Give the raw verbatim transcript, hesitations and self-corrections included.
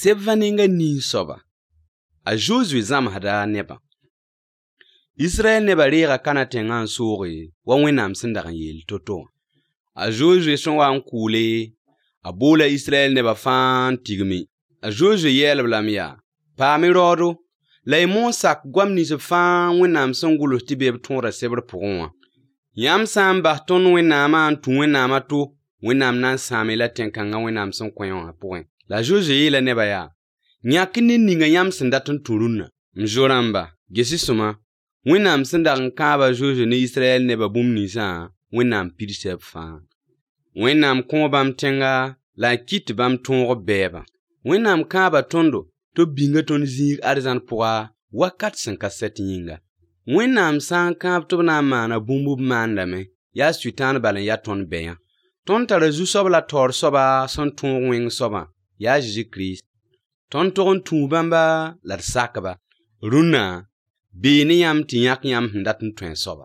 Sebvaninga ni soba. A Josué zam hada neba. Israel neba rega kana tengan sori wa wenam sindagan yel toto. A Josué son wa nkule a bola Israel neba fan tigmi. A Josué yel blamia. Pa mi rodo lay mon sak gwam ni se fan wenam son gulo tibeb tonra sebre pourwa. Yam sam bahton wenam an tu wenam ato wenam nan sami la tenkanga wenam son kwayon a point. La Josué la neba ya. Nyakini ninga yam sindatun turuna. Mjoramba gesi suma wenam sindagan kaba Josué ni Israel neba bum ni sa wenam pirsep fa. Wenam kombam tenga la kit bam tongo beba. Wenam kaba tondo to binga ton zig arzan poa wakat sen kaset yinga. Wenam san kab to na mana bumbu mandame ya suitan balan ya ton beya. Ton tara zu soba tor soba son ton wing soba ya Jésus Christ. Ton toron tu bamba la sakaba. Runa bini yam tinyak yam ndatun twen soba.